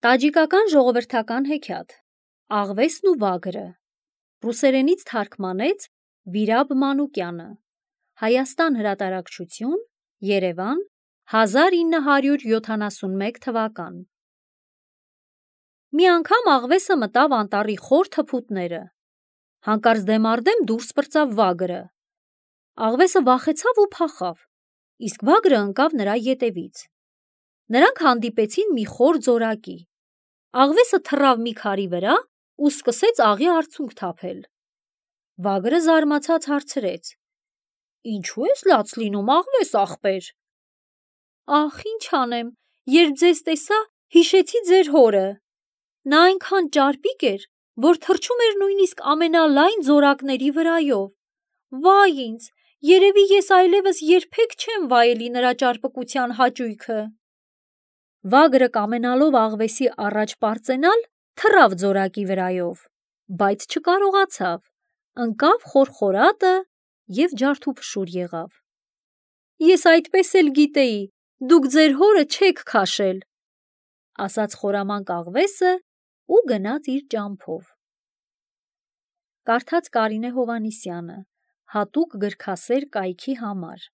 Տաջիկական ժողովրդական հեքիաթ Աղվեսն ու վագրը ռուսերենից թարգմանեց Վիրաբ Մանուկյանը Հայաստան հրատարակչություն Երևան 1971 թվական Մի անգամ աղվեսը մտավ անտառի խոր թփուտները հանկարծ դեմառդեմ դուրս պրծավ վագրը Աղվեսը վախեցավ ու փախավ իսկ վագրը ընկավ նրա ետևից Նրանք հանդիպեցին մի խոր ձորակի Աղվեսը թռավ մի քարի վրա ու սկսեց աղի արցունք թափել Վագրը զարմացած հարցրեց Ինչու ես լաց լինում աղվես աղբեր Ախ ինչ անեմ երբ ձեզ տեսա հիշեցի ձեր հորը Նա այնքան ճարպիկ էր որ թռչում էր նույնիսկ ամենալայն ձորակների վրայով Վայ ինձ երևի ես այլևս երբեք չեմ վայելի նրա ճարպկության հաճույքը Վագրը կամենալով աղվեսի առաջ պարծենալ թռավ ձորակի վրայով բայց չկարողացավ ընկավ խորխորատը և ջարդուփշուր եղավ Ես այդպես էլ գիտեի դուք ձեր հորը չեք քաշել ասաց խորամանկ աղվեսը ու գնաց իր ճամփով Կարդաց Կարինե Հովհաննիսյանը հատուկ գրքասեր կայքի համար